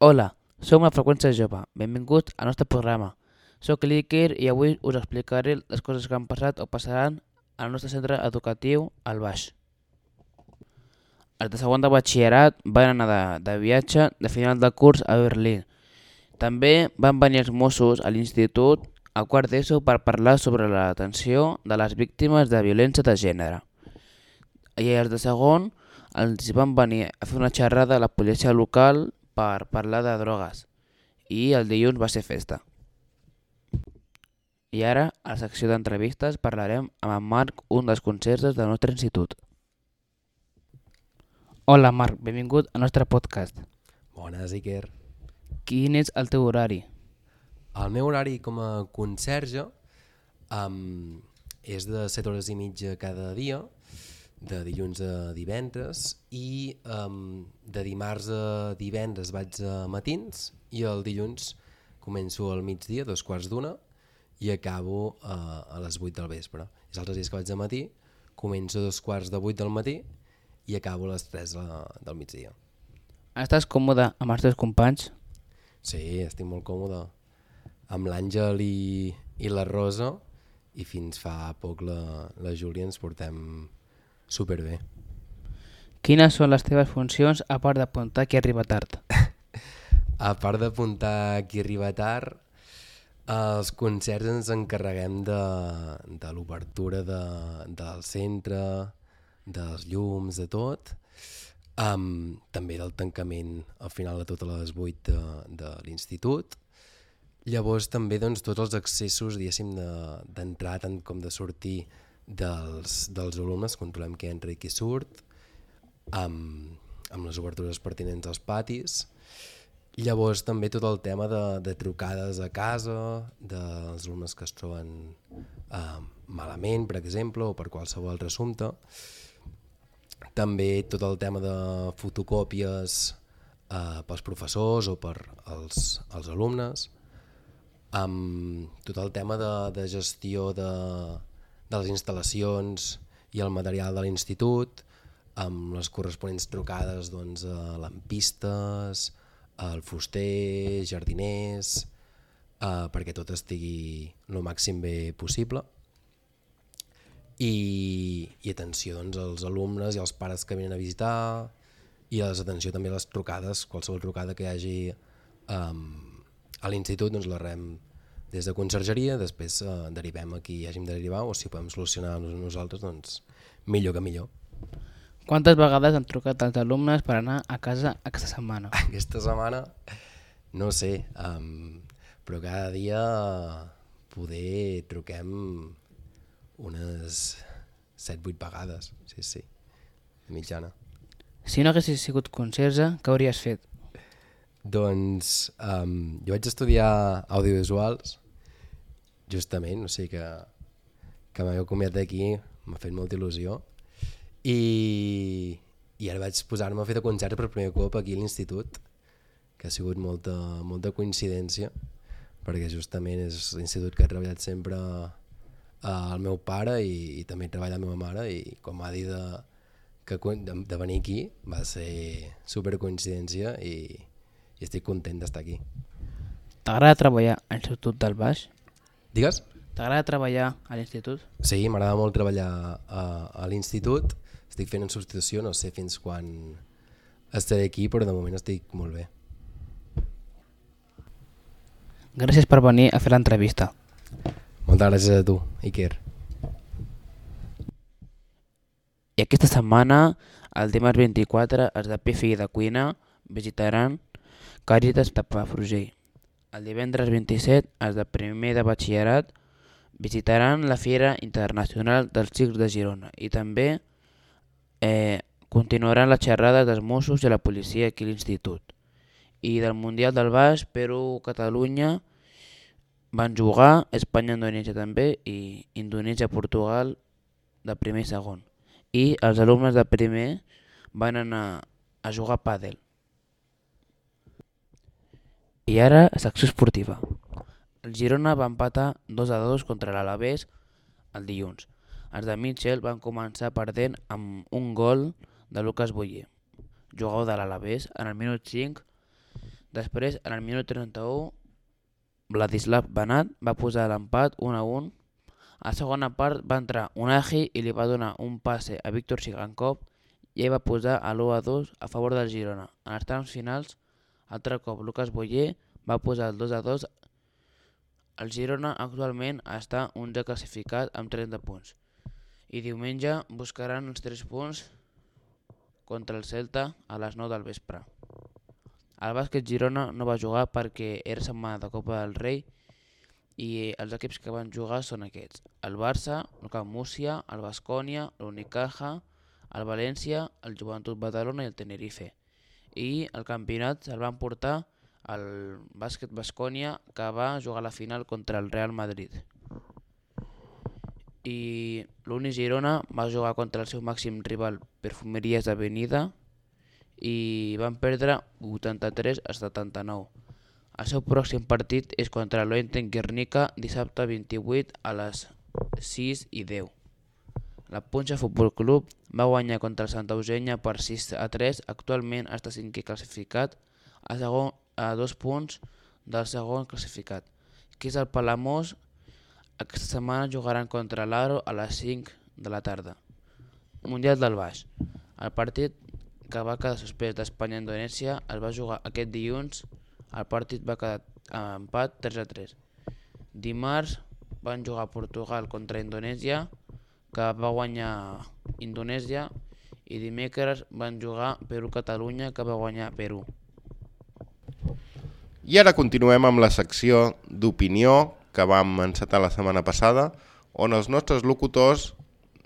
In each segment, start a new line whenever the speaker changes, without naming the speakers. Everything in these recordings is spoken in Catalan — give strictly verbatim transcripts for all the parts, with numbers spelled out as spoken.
Hola, som la Freqüència Jove. Benvinguts al nostre programa. Soc l'Iker i avui us explicaré les coses que han passat o passaran al nostre centre educatiu, al Baix. Els de segon de batxillerat van anar de, de viatge de final de curs a Berlín. També van venir els Mossos a l'institut a quart d'ESO per parlar sobre l'atenció de les víctimes de violència de gènere. I els de segon els van venir a fer una xerrada a la policia local per parlar de drogues. I el dilluns va ser festa. I ara, a la secció d'entrevistes, parlarem amb en Marc, un dels conserges del nostre institut. Hola Marc, benvingut al nostre podcast.
Bones, Iker.
Quin és el teu horari?
El meu horari com a conserge um, és de set hores i mitja cada dia, de dilluns a divendres, i um, de dimarts a divendres vaig a matins i el dilluns començo al migdia, dos quarts d'una, i acabo uh, a les vuit del vespre. Els altres dies que vaig a matí començo a dos quarts de vuit del matí i acabo a les tres de, del migdia.
Estàs còmode amb els teus companys?
Sí, estic molt còmode amb l'Àngel i, i la Rosa, i fins fa poc la, la Júlia ens portem superbé.
Quines són les teves funcions a part d'apuntar qui arriba tard?
A part d'apuntar qui arriba tard, els concerts ens encarreguem de, de l'obertura de, del centre, dels llums, de tot, um, també del tancament al final de totes les vuit de, de l'institut. Llavors també doncs, tots els accessos d'entrar de, tant com de sortir dels, dels alumnes, controlem qui entra i qui surt, amb, amb les obertures pertinents als patis. Llavors també tot el tema de, de trucades a casa, dels alumnes que es troben eh, malament, per exemple, o per qualsevol altre assumpte. També tot el tema de fotocòpies eh, pels professors o per als, als alumnes. Amb tot el tema de, de gestió de, de les instal·lacions i el material de l'institut, amb les corresponents trucades doncs, a lampistes, al fuster, jardiners, eh, perquè tot estigui el màxim bé possible. I, i atenció doncs, als alumnes i als pares que venen a visitar, i a les atenció també a les trucades, qualsevol trucada que hi hagi um, a l'institut doncs la rem des de consergeria, després eh, derivem a qui hàgim de derivar, o si podem solucionar nosaltres, doncs millor que millor.
Quantes vegades han trucat els alumnes per anar a casa aquesta setmana?
Aquesta setmana, no sé, um, però cada dia poder truquem unes set vuit vegades, sí, sí, de mitjana.
Si no haguessis sigut conserge, què hauries fet?
Doncs um, jo vaig estudiar audiovisuals, justament, o sigui que, que m'he acomiadat d'aquí, m'ha fet molta il·lusió, i, i ara vaig posar-me a fer de concert per primer cop aquí a l'institut, que ha sigut molta, molta coincidència, perquè justament és l'institut que ha treballat sempre el meu pare i, i també treballa la meva mare, i quan m'ha dit de, que, de, de venir aquí va ser super coincidència i, i estic content d'estar aquí.
T'agrada treballar a l'Institut del Baix?
Digues?
T'agrada treballar a l'institut?
Sí, m'agrada molt treballar a, a l'institut, estic fent en substitució, no sé fins quan estaré aquí, però de moment estic molt bé.
Gràcies per venir a fer l'entrevista.
Moltes gràcies a tu, Iker.
I aquesta setmana, el dimarts vint-i-quatre, els de P F I de Cuina visitaran Càritas de Palafrugell. El divendres vint-i-set, els de primer de batxillerat visitaran la Fira Internacional dels Circs de Girona i també eh, continuaran les xerrades dels Mossos i la policia aquí a l'institut. I del Mundial del Baix, Perú-Catalunya van jugar, Espanya-Indonèsia també, i Indonèsia-Portugal de primer i segon. I els alumnes de primer van anar a jugar a pàdel. I ara, secció esportiva. El Girona va empatar dos a dos contra l'Alavés el dilluns. Els de Mitchell van començar perdent amb un gol de Lucas Boyer, jugador de l'Alavés, en el minut cinc Després, en el minut trenta-u, Vladislav Banat va posar l'empat un a un. A la segona part va entrar Unai i li va donar un passe a Víctor Sigankov i ell va posar a l'u a dos a favor del Girona. En els trams finals, altre cop Lucas Boyer va posar el dos a dos. El Girona actualment està onzè classificat amb trenta punts i diumenge buscaran els tres punts contra el Celta a les nou del vespre. El bàsquet Girona no va jugar perquè era setmana de Copa del Rei i els equips que van jugar són aquests: el Barça, el Camp Múrcia, el Baskonia, l'Unicaja, el València, el Joventut Badalona i el Tenerife. I el campionat se'l van portar el bàsquet Baskonia, que va jugar a la final contra el Real Madrid. I l'Uni Girona va jugar contra el seu màxim rival Perfumeries Avenida i van perdre vuitanta-tres a setanta-nou. El seu pròxim partit és contra l'Oenten Guernica dissabte vint-i-vuit a les sis i deu. La Punxa Futbol Club va guanyar contra el Santa Eugènia per sis a tres. Actualment està cinquè classificat a, segon, a dos punts del segon classificat, que és el Palamós. Aquesta setmana jugaran contra l'Aro a les cinc de la tarda. Mundial del Baix. El partit que va quedar suspès d'Espanya-Indonèsia es va jugar aquest dilluns. El partit va quedar a empat tres a tres. Dimarts van jugar Portugal contra Indonèsia, que va guanyar Indonèsia, i dimecres van jugar Perú-Catalunya, que va guanyar Perú.
I ara continuem amb la secció d'opinió que vam encetar la setmana passada, on els nostres locutors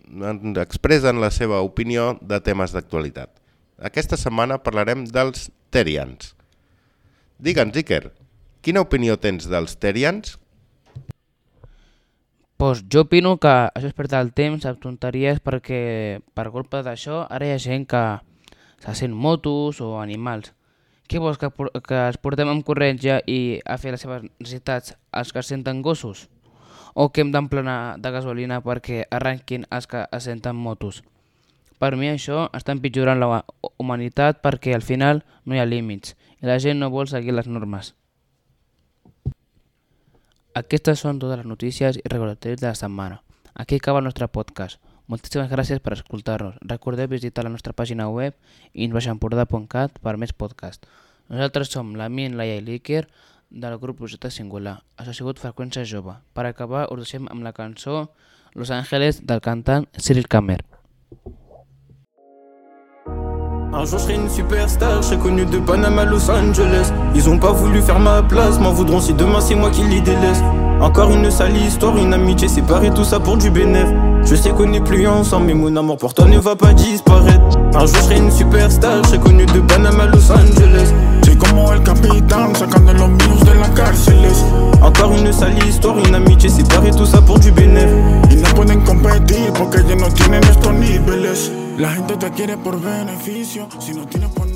ens expressen la seva opinió de temes d'actualitat. Aquesta setmana parlarem dels Terians. Digue'ns, Iker, quina opinió tens dels Terians?
Pues jo opino que això és perdre el temps amb tonteries perquè per culpa d'això ara hi ha gent que se sent motos o animals. Què vols, que, que els portem amb corrents ja i a fer les seves necessitats els que es senten gossos? O que hem d'emplenar de gasolina perquè arrenquin els que es senten motos? Per mi això està empitjorant la humanitat perquè al final no hi ha límits i la gent no vol seguir les normes. Aquestes són totes les notícies i recordatoris de la setmana. Aquí acaba el nostre podcast. Moltíssimes gràcies per escoltar-nos. Recordeu visitar la nostra pàgina web influeixaempordà punt cat per més podcast. Nosaltres som l'Amin, Laia i l'Iker del grup Projecte Singular. Això ha sigut Freqüència Jove. Per acabar us deixem amb la cançó Los Ángeles del cantant Cyril Camer.
Un jour je serai une superstar, je serai connu de Panama à Los Angeles. Ils ont pas voulu faire ma place, m'en voudront si demain c'est moi qui les délaisse. Encore une sale histoire, une amitié séparée, tout ça pour du bénéf. Je sais qu'on n'est plus ensemble, mais mon amour pour toi ne va pas disparaître. Un jour je serai une superstar, je serai connu de Panama à Los Angeles.
Soy como el capitán, sacando los míos de las cárceles.
Encore une sale histoire, une amitié séparée, tout ça pour du bénéf.
Y no pueden competir porque ellos no tienen estos niveles. La gente te quiere por beneficio, si no tienes por